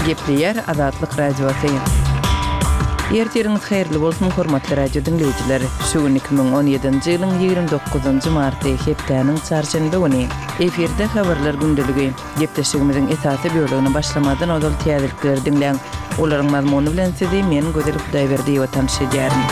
Gepleýär Azatlyk Radiosy. Ertiriňiz haýyrly bolsun, hormatly radio diňleýjiler! Şu gün 2017-nji ýylyň 29-njy marty, hepdäniň çarşenbe güni. Efirde Habarlar gündeligi. Gepleşigimiziň esasy bölegine başlamazdan ozal täzelikleri diňläň. Olaryň mazmuny bilen sizi men Gözel Hudaýberdiýewa tanyş edýärin.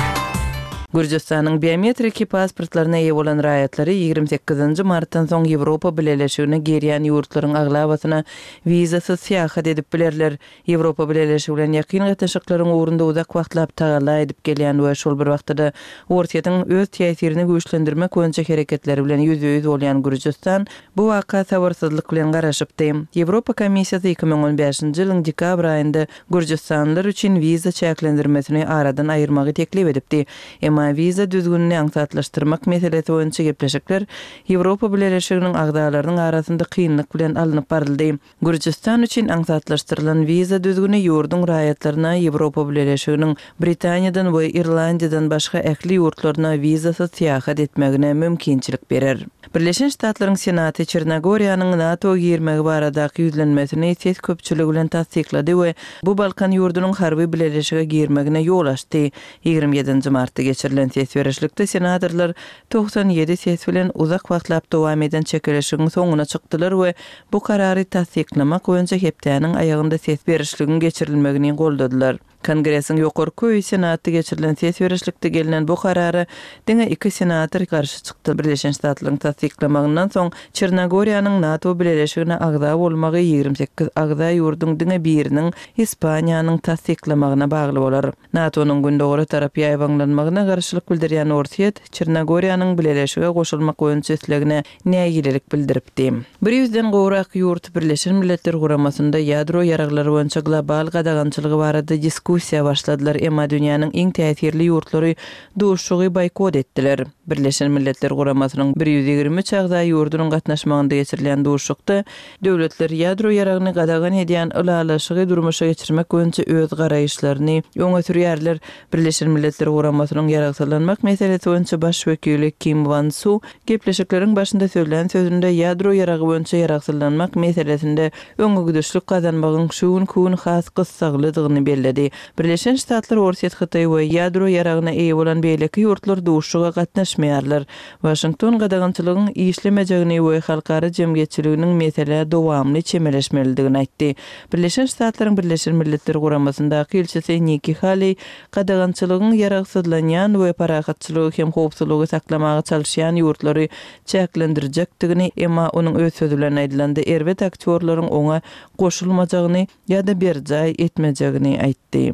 Gürjüstanyň biometriki pasportlaryna eýe bolan raýatlary 28-nji martdan soň Ýewropa Bileleşigine girýän ýurtlaryň aglabasyna wizasyz syýahat edip bilerler. Ýewropa Bileleşigi bilen ýakyn gatnaşyklaryň ugrunda uzak wagtlap tagalla edip gelýän we şol bir wagtda-da Orsýetiň öz täsirini güýçlendirmek boýunça hereketleri bilen ýüzbe-ýüz bolýan Gürjüstan bu waka sabyrsyzlyk bilen garaşypdy. Ýewropa Komissiýasy 2015-nji ýylyň dekabr aýynda gürjüstanlylar üçin wiza çäklendirmesini aradan aýyrmagy teklip edipdi. Emma wiza düzgünini aňsatlaşdyrmak meselesi boýunça gepleşikler Ýewropa Bileleşiginiň agzalarynyň arasynda kynlyk bilen alnyp baryldy. Gürjüstan üçin aňsatlaşdyrylan wiza düzgüni ýurduň raýatlaryna Ýewropa Bileleşiginiň Britaniýadan we Irlandiýadan başga ähli ýurtlaryna wizasyz syýahat etmegine mümkinçilik berer. Birleşen Ştatlaryň Senaty Çernogoriýanyň NATO girmegi baradaky ýüzlenmesini ses köpçüligi bilen tassyklady we bu Balkan ýurdunyň harby bileleşige girmegine ýol açdy. 27-nji martda geçirilen ses berişlikde senatorlar 97 ses bilen uzak wagtlap dowam eden çekeleşigiň soňuna çykdylar we bu karary tassyklamak boýunça hepdäniň aýagynda ses berişligiň geçirilmegini goldadylar. Kongresiň ýokarky öýi Senatda geçirilen ses berişlikde gelnen bu karara diňe iki senator garşy çykdy. Birleşen Ştatlaryň tassyklamagyndan soň Çernogoriýanyň NATO bileleşigine agza bolmagy 28 agza ýurduň diňe biriniň, Ispaniýanyň tassyklamagyna bagly bolar. NATO-nyň gündogara tarap ýaýbaňlanmagyna garşylyk bildirýän Orsýet, Çernogoriýanyň bileleşige goşulmak boýunça islegine nägilelik bildiripdi. Bir ýüzden gowrak ýurt Birleşen Milletler Guramasynda ýadro ýaraglary boýunça global gadagançylygy barada diskussiýa başladylar, emma dünýäniň iň täsirli ýurtlary duşuşygy boýkot etdiler. Birleşen Milletler Guramasynyň 123 agza ýurdunyň gatnaşmagynda geçirilýän duşuşykda Döwletler ýadro ýaragyny gadagan edýän ylalaşygy durmuşa geçirmek boýunça öz garaýyşlaryny öňe sürýärler. Birleşen Milletler Guramasynyň ýaragsyzlanmak meselesi boýunça baş wekili Kim Wan Su gepleşikleriň başynda sözlän sözünde ýadro ýaragy boýunça ýaragsyzlanmak meselesinde öňegidişlik gazanmagyň şu günki gün has gyssaglydygyny belledi. Birleşen Ştatlar, Orsýet, Hytaý we ýadro ýaragyna eýe bolan beýleki ýurtlar duşuşyga gatnaşmaýarlar. Waşington gadagançylygyň işlemejegini we halkara jemgyýetçiliginiň meselä dowamly çemeleşmelidigini aýtdy. Birleşen Ştatlaryň Birleşen Milletler Guramasyndaky ilçisi Nikki Haleý gadagançylygyň ýaragsyzlanýan we parahatçylygy hem howpsuzlygy saklamaga çalyşýan ýurtlary çäklendirjekdigini, emma onuň öz sözi bilen aýdylanda erbet aktýorlaryň oňa goşulmajagyny ýa-da berjaý etmejegini aýtdy.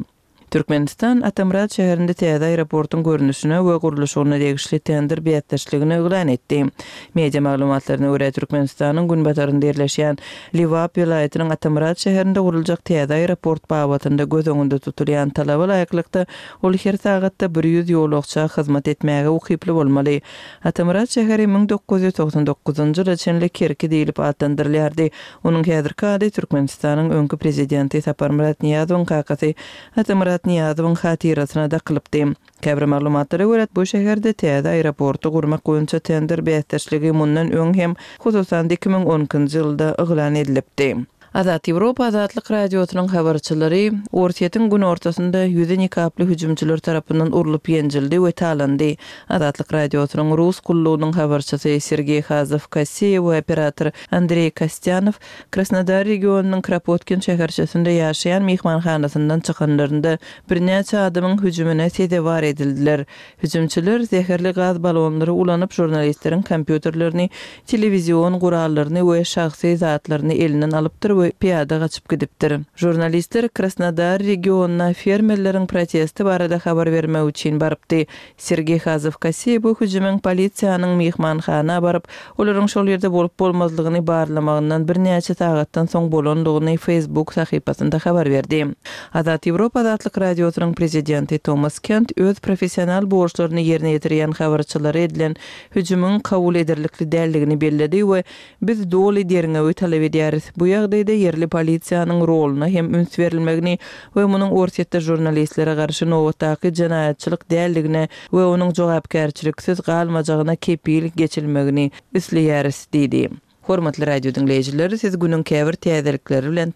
Türkmenistan Atamyrat şäherinde täze aeroportuň görnüşine we gurluşygyna degişli tender bäsdeşligini yglan etdi. Media maglumatlaryna görä, Türkmenistanyň günbatarynda ýerleşýän Lebap welaýatynyň Atamyrat şäherinde guruljak täze aeroport babatynda göz öňünde tutulýan talaba laýyklykda, ol her sagatda 100 ýolagça hyzmat etmäge ukyply bolmaly. Atamyrat şäheri 1999-njy ýyla çenli Kerki diýlip atlandyrylýardy. Onuň häzirki ady Türkmenistanyň öňki prezidenti Saparmyrat Nyýazowyň kakasy Atamyrat Nyýazowyň hatyrasyna dakylypdy. Käbir maglumatlara görä, bu şäherde täze aeroporty gurmak boýunça tender bäsdeşligi mundan öň hem, hususan-da 2012-nji ýylda yglan edilipdi. Azat Ýewropa Azatlyk Radiosynyň habarçylary Orsýetiň günortasynda ýüzi nikaply hüjümçiler tarapyndan urlup ýenjildi we talandy. Azatlyk Radiosynyň Rus gullugynyň habarçysy Sergeý Hazow-Kosseýew we operator Andreý Kostýanow Krasnodar regionynyň Kropotkin şäherçesinde ýaşaýan myhmanhanasyndan çykanlarynda birnäçe adamyň hüjümine sezewar edildiler. Hüjümçiler zäherli gaz balonlary ulanyp žurnalistleriň kompýuterlerini, telewizion gurallaryny we şahsy zatlaryny elinden alypdyr we pyýada gaçyp gidipdir. Žurnalistler Krasnodar regionyna fermerleriň protesti barada habar bermek üçin barypdy. Sergeý Hazow-Kosseý bu hüjümiň polisiýanyň myhmanhana baryp, olaryň şol ýerde bolup-bolmazlygyny barlamagyndan birnäçe sagatdan soň bolandygyny Facebook sahypasynda habar berdi. Azat Ýewropa Azatlyk Radiosynyň prezidenti Tomas Kent öz professional borçlaryny ýerine ýetirýän habarçylara edilen hüjümiň kabul ederlikli däldigini belledi we Biz doly derňewi talap edýäris. Bu ýagdaýda ýerli polisiýanyň roluna hem üns berilmegini we munuň Orsýetde žurnalistlere garşy nobatdaky jenaýatçylyk däldigine we onuň jogapkärçiliksiz galmajagyna kepil geçilmegini isleýäris diýdi. Hormatly radio diňleýjiler, siz günüň käbir täzelikleri bilen.